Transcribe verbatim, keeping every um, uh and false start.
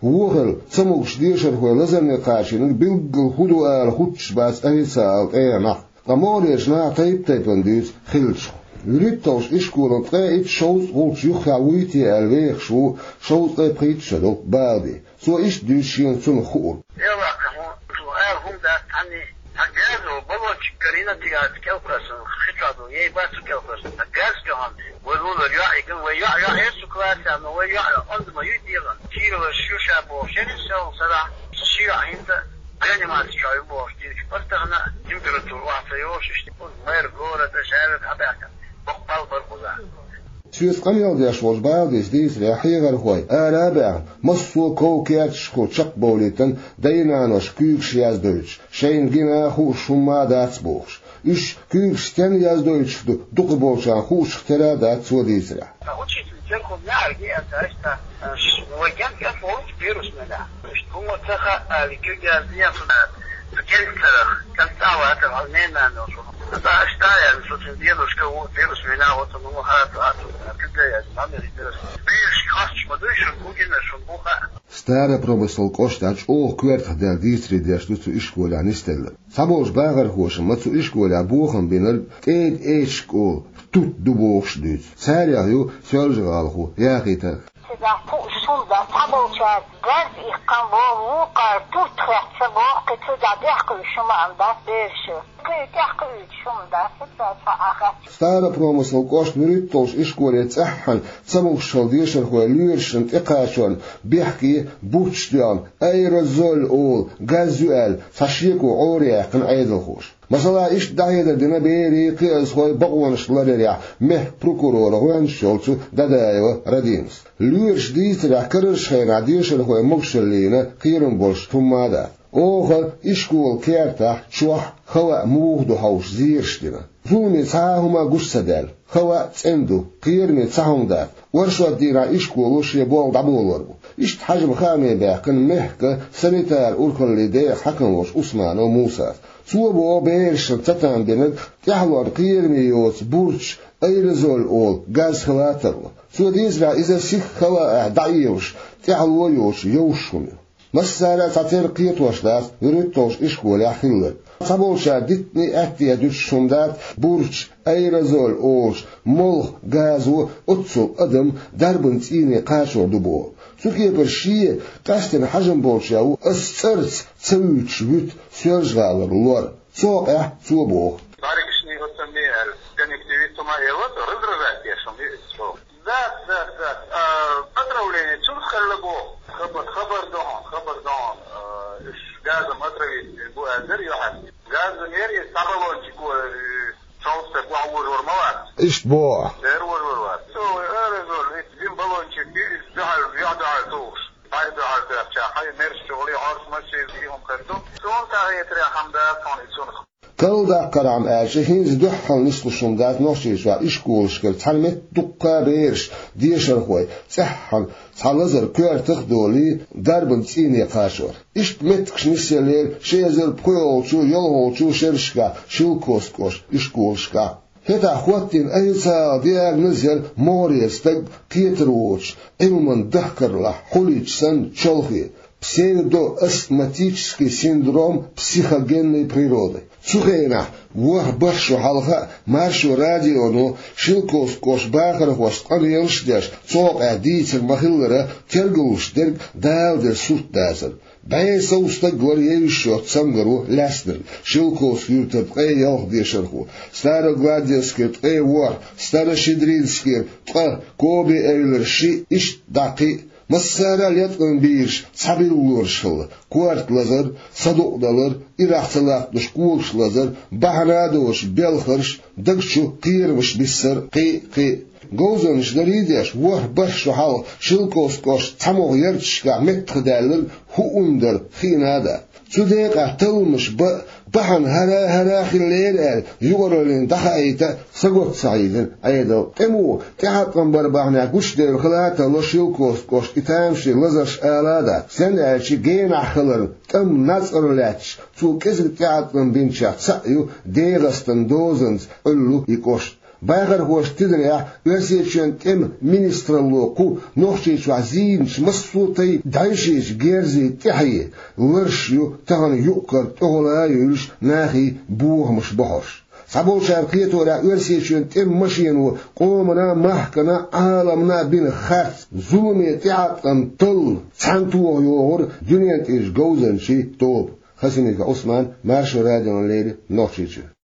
Вохал ца могуш дешархой лазарне кхачийнарг билггал хӀун ду ала хӀуттуш бац официалан тӀегӀанехь. Ткъа могӀарерчу наха тайп-тайпана дуьйцу хиллачух. ВуьрхӀитталгӀачу ишколан ткъе итт шовзткъа гӀулч юххехь вуй те аьлла вехаш ву шовзткъе пхийтта шо долу Балди. Цо иштта дуьйцу шена цунах хуург. Делахь, хьуна ала хӀума дац цхьанне, цхьа газо баллончик карийна тӀехь кӀелхоьссина, хи чохь ду, ей бац цу кӀелхоьссина, цхьа газ тоьхна, вай лулара йоӀ йигна, вай йоӀ, йоӀ яра цу классехь, но вай йоӀ онда ма ю дегӀан, кийралаш ю ша бохуш, шерриг сел сарахь, ши йоӀ хӀинца реанимаци чохь ю бохуш, дийцича, пастахана температура охьа ца йолуш, иштта, мэр гора тӀе шаьрриг хьабаьхкина, боккха пал бара кхузахь. Соьца къамел деш волчу Балдис дийцарехь, хьехархой ара а баьхна, массо а ков-керташхо чекхбовлийтина дай-наноша куьйгаш яздойтуш, шайна гина а хууш хӀумма а дац бохуш. Уьш куьйгаш стенна яздойтуш ду дукхахболчарна хуучух тера а дац цо дийцарехь. Ткъа учитель церан хӀума неӀарга еана дац, ткъа, э, ш-, вай кӀент-кӀент волчу вирус мелехь. Иштта хӀума ца хаьа аьлла, куьг яздина цу, цу кӀентан цӀарах, кӀант цӀа а вацара, хьан ненан нана йолчу. Аса аша та аьлла, со цуьнан дедушка ву, вирус мина а ву, цунна хӀума хаа ца а ца, куьг а яздина, хьан вирус. Бераш хасташ ма дуй шуна, хӀун гина шуна, хӀун хаьа. Старопромыслан кӀоштахь чӀогӀа коьртах даьлла дийцаре деш ду цу ишколехь нисделларг. Цхьаболчу бахархоша ма цу ишколехь бохам бинарг тӀеда эчаш школа, тут ду бохуш дуьйцу. Царех ю Соьлжа-ГӀалахо Яхийтарг. Цигахь кхуъуш хӀума дац, цхьаболчара газ иккхина боху, вукхара турт хетта боху, кхин цигахь дехкуьйтуш хӀума а дац бераша. Кхин тӀехкхуьйтуш хӀума дац, цигахь цхьа а хаьттина. Старопромыслан кӀоштан вуьрхӀитталгӀачу ишколе цӀеххьана ца могушалла дешархой лоьрашна тӀекхачорна бехке бурчаш тоьхна, аэрозоль олу газ ю аьлла, цхьа шеко Ӏораяьккхина Ӏедалхоша. Масала, иштта дӀахьедар дина берийн, кхиазхойн бакъонаш ларъярехь мехкан прокуроран гӀоьнча йолчу Дадаева Радимас. Лоьраша дийцарехь, карарчу хенахь дешархойн могушаллина кхерам болуш хӀумма а дац. Оха ишколан кертахь, чохь, хала а муха ду хьовсуш зераш дина. Зуламе цхьа а хӀума гуш ца даьлла, хала а цӀена ду, кхераме цхьа хӀума дац. Оршот дийнахь ишколо шен болх дӀаболор бу. Иштта хьажам хааме баьккхина мехкан санитар урхаллин декъан хьаькам волчу Усманов Мусас. Цо боху берашна цатам бинарг тӀаьхьалонна кхераме йоцу бурчаш, аэрозоль олу газ хила а тарло. Цо дийцарехь, иза сиха хала а дӀаэваш, тӀаьхьало а йоцуш йовш хӀума ю. Массара а цхьатерра кхетош дац вуьрхӀитталгӀачу ишколехь хилларг. Цхьаболчара дитине, аьтте дуьтуш хӀума дац бурчаш, аэрозоль олуш, молха газо оццул адам дарбан цӀийне кхачор ду боху. Цу кепара шен, къаьсттина хьажам болчу а ву, ас цӀарца ца вуьйцуш вуьту Соьлжа-ГӀалара лор. Цу хьокъехь цо боху. Баригашний оццанний аьлла, конъюнктивит хӀума а елла, раздражать деш хӀума ю иза чӀогӀа. Дац, дац, дац. А, отравление цунах хилла боху. Хабар, хабар ду хьуна, хабар ду хьуна. А, уьш газом отравить бу аьлла дара юьхьанца. Газонера иза цхьа баллончик ву, э, чолхе стаг охьавожор ма вац. Иштта боху. Дера вожор вац. Цо аэрозоль, иза жима баллончик ю, иза дуьхьал, юьхь дуьхьал тухуш. Хьай дуьхьал тоьхча, хьай мерш чухула, хьорш машина, и хӀума хир ду. Суна тахетарехь хӀума дац хьуна и цунах. Карладаккхархьама аьлча, хӀинца дуьххьал нислуш хӀума дац Нохчийчохь ишколашкара цхьана метта дуккха а бераш, дешархой, цӀеххьана цхьа лазар коьртах а долий, дарбан цӀийне кхачор. Иштта меттигаш нисъеллера ши эзар пхоьалгӀачу, йолхалгӀачу шерашкахь Шелковски кӀоштан ишколашкахь. ХӀетахь хӀоттийна официалан диагноз яра могӀарера стаг кхетар воцуш, Ӏилманан дахкарлахь хьулийча санна чолхе, псевдоастматический синдром психогенной природы. Цу хенахь, ворхӀ-бархӀ шо хьалха а, Маршо радионо Шелковски кӀоштан бахархошца къамелаш а деш, цу хьокъехь дийцар ма-хиллара, тергалуш дерг Дала дерг сурт дацара. БӀе сов стаг вара евзаш йоцу цамгаро лаьцнарг: Шелковски-Юьртара ткъе ялх дешархо, Старогладинскера ткъе ворхӀ, Старошедринскера ткъа, Коби-Эвлара шиъ, иштта дӀа кхин а. Массара а леткъам бийраш цхьа билгалонаш хилла: корта лазар, садукъадалар, ирахь ца латталуш когаш лазар, бахьана а доцуш белхарш, даг чу кхерамаш биссар, кхин а, кхин а. Говзанчаша дарий а деш, ворхӀ-бархӀ шо хьалха Шелковски кӀоштан цхьамогӀа ярташкахь меттахдаьлларг хӀуъа дара хиъна а дац. Цу декъехь талламаш бан а, бахьана хӀара а, хӀара а хиллера аьлла, юкъараллина дӀахаийта а сагатта ца хьийзира Ӏедал. ТӀеман тӀеӀаткъам бар бахьанехь гучудевлла хила а тарло Шелковски кӀоштан и тамашийна лазарш, ала а дац. Стенна аьлча, генахь хиларна тӀамна нацкъара лаьтташ, цо кӀезиг тӀеӀаткъам бинчех цхьаъ ю ДегӀастан дозанца Ӏуьллу и кӀошт. Бахархошта тидарехь, Оьрсийчоьнан тӀеман министралло кху Нохчийчохь зийначу массо а тайпа дӀаьвшечу герзийн тӀаьхье ларш ю тахана юкъ-кара тӀехула а йевлаш, нахе бохамаш бохьуш. Цхьаболчара кхеторехь, Оьрсийчоьнан тӀеман машено къомана, махкана, Ӏаламна бина харц, зуламе тӀеӀаткъам талла цхьаьнатоха йогӀура дуьнен тӀерачу говзанчийн тоба. Хасимиков Ӏусман, Маршо радиона леррина, Нохчийчуьра.